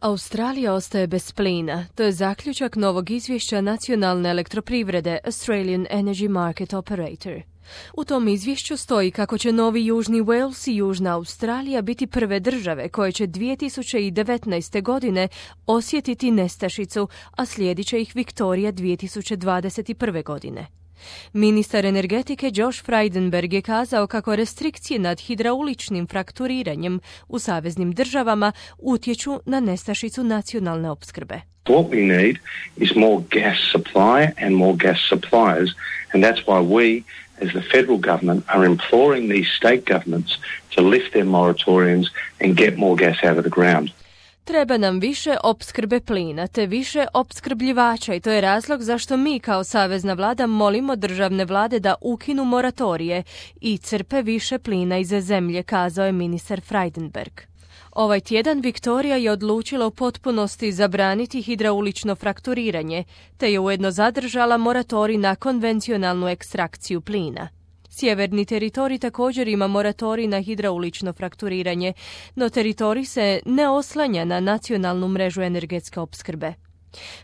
Australija ostaje bez plina. To je zaključak novog izvješća nacionalne elektroprivrede Australian Energy Market Operator. U tom izvješću stoji kako će Novi Južni Wales i Južna Australija biti prve države koje će 2019. godine osjetiti nestašicu, a slijedit će ih Viktorija 2021. godine. Ministar energetike Josh Frydenberg je kazao kako restrikcije nad hidrauličnim frakturiranjem u saveznim državama utječu na nestašicu nacionalne opskrbe. What we need is more gas supply and more gas suppliers, and that's why we, as the federal government, are imploring these state governments to lift their moratoriums and get more gas out of the ground. Treba nam više opskrbe plina te više opskrbljivača i to je razlog zašto mi kao savezna vlada molimo državne vlade da ukinu moratorije i crpe više plina iz zemlje, kazao je ministar Frydenberg. Ovaj tjedan Viktorija je odlučila u potpunosti zabraniti hidraulično frakturiranje, te je ujedno zadržala moratorij na konvencionalnu ekstrakciju plina. Sjeverni teritorij također ima moratorij na hidraulično frakturiranje, no teritorij se ne oslanja na nacionalnu mrežu energetske opskrbe.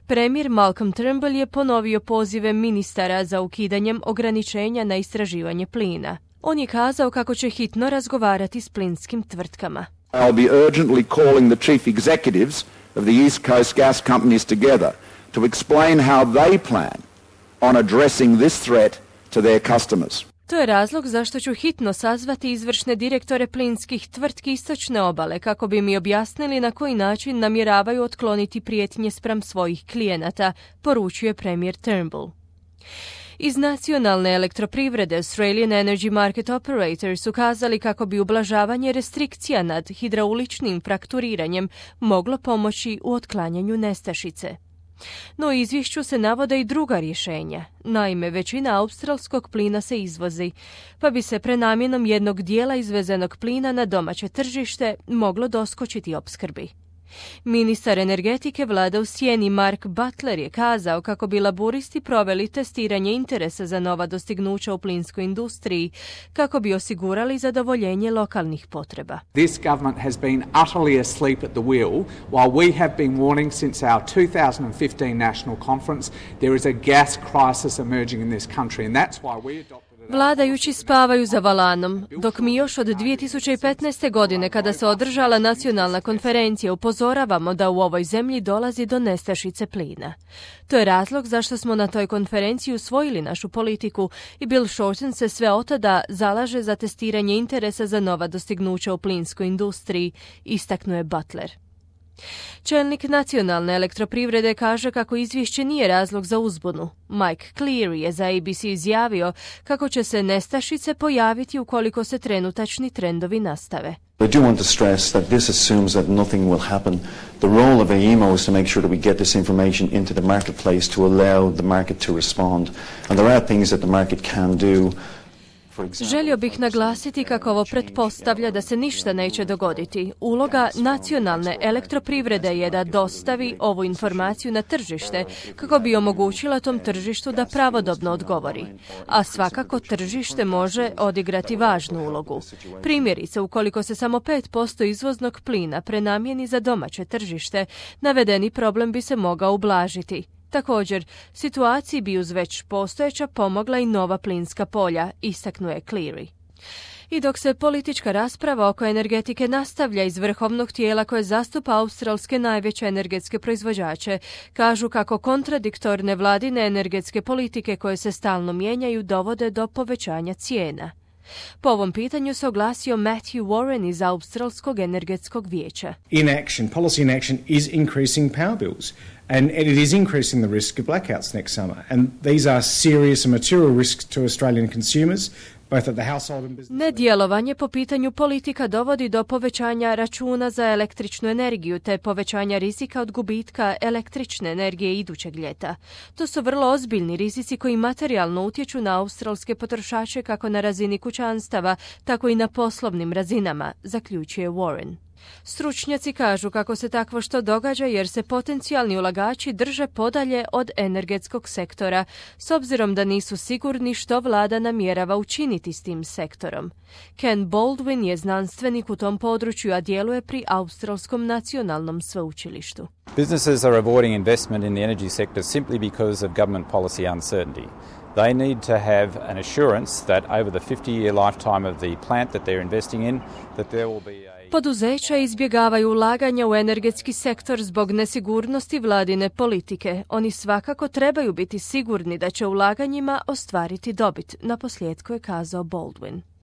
Premijer Malcolm Turnbull je ponovio pozive ministara za ukidanjem ograničenja na istraživanje plina. On je kazao kako će hitno razgovarati s plinskim tvrtkama. I'll be urgently calling the chief executives of the East Coast gas companies together to explain how they plan on addressing this threat to their customers. To je razlog zašto ću hitno sazvati izvršne direktore plinskih tvrtki istočne obale kako bi mi objasnili na koji način namjeravaju otkloniti prijetnje spram svojih klijenata, poručuje premijer Turnbull. Iz nacionalne elektroprivrede Australian Energy Market Operator su kazali kako bi ublažavanje restrikcija nad hidrauličnim frakturiranjem moglo pomoći u otklanjanju nestašice. No u izvješću se navode i druga rješenja. Naime, većina australskog plina se izvozi, pa bi se prenamjenom jednog dijela izvezenog plina na domaće tržište moglo doskočiti opskrbi. Ministar energetike vlada u sjeni Mark Butler je kazao kako bi laburisti proveli testiranje interesa za nova dostignuća u plinskoj industriji kako bi osigurali zadovoljenje lokalnih potreba. This government has been utterly asleep at the wheel while we have been warning since our 2015 national conference there is a gas crisis emerging in this country and that's why we adopted. Vladajući spavaju za valanom, dok mi još od 2015. godine kada se održala nacionalna konferencija upozoravamo da u ovoj zemlji dolazi do nestašice plina. To je razlog zašto smo na toj konferenciji usvojili našu politiku i Bill Shorten se sve od tada zalaže za testiranje interesa za nova dostignuća u plinskoj industriji, istaknuo je Butler. Čelnik nacionalne elektroprivrede kaže kako izvješće nije razlog za uzbunu. Mike Cleary je za ABC izjavio kako će se nestašice pojaviti ukoliko se trenutačni trendovi nastave. I do want to stress that this assumes that nothing will happen. The role of AEMO is to make sure that we get this information into the marketplace to allow the market to respond. And there are things that the market can do. Želio bih naglasiti kako ovo pretpostavlja da se ništa neće dogoditi. Uloga nacionalne elektroprivrede je da dostavi ovu informaciju na tržište kako bi omogućila tom tržištu da pravodobno odgovori. A svakako tržište može odigrati važnu ulogu. Primjerice, ukoliko se samo 5% izvoznog plina prenamijeni za domaće tržište, navedeni problem bi se mogao ublažiti. Također, situaciji bi uz već postojeća pomogla i nova plinska polja, istaknuo je Cleary. I dok se politička rasprava oko energetike nastavlja iz vrhovnog tijela koje zastupa australske najveće energetske proizvođače, kažu kako kontradiktorne vladine energetske politike koje se stalno mijenjaju dovode do povećanja cijena. Po ovom pitanju se oglasio Matthew Warren iz Australskog energetskog vijeća. Policy inaction is increasing power bills and it is increasing the risk of blackouts next summer. And these are serious and material risks to Australian consumers. Nedjelovanje po pitanju politika dovodi do povećanja računa za električnu energiju te povećanja rizika od gubitka električne energije idućeg ljeta. To su vrlo ozbiljni rizici koji materijalno utječu na australske potrošače kako na razini kućanstava, tako i na poslovnim razinama, zaključuje Warren. Stručnjaci kažu kako se takvo što događa jer se potencijalni ulagači drže podalje od energetskog sektora, s obzirom da nisu sigurni što vlada namjerava učiniti s tim sektorom. Ken Baldwin je znanstvenik u tom području, a djeluje pri Australskom nacionalnom sveučilištu. Businesses are avoiding investment in the energy sector simply because of government policy uncertainty. They need to have an assurance that over the 50-year lifetime of the plant that they're investing in, that there will be a... Poduzeća izbjegavaju ulaganja u energetski sektor zbog nesigurnosti vladine politike. Oni svakako trebaju biti sigurni da će ulaganjima ostvariti dobit, naposljetku je kazao Baldwin.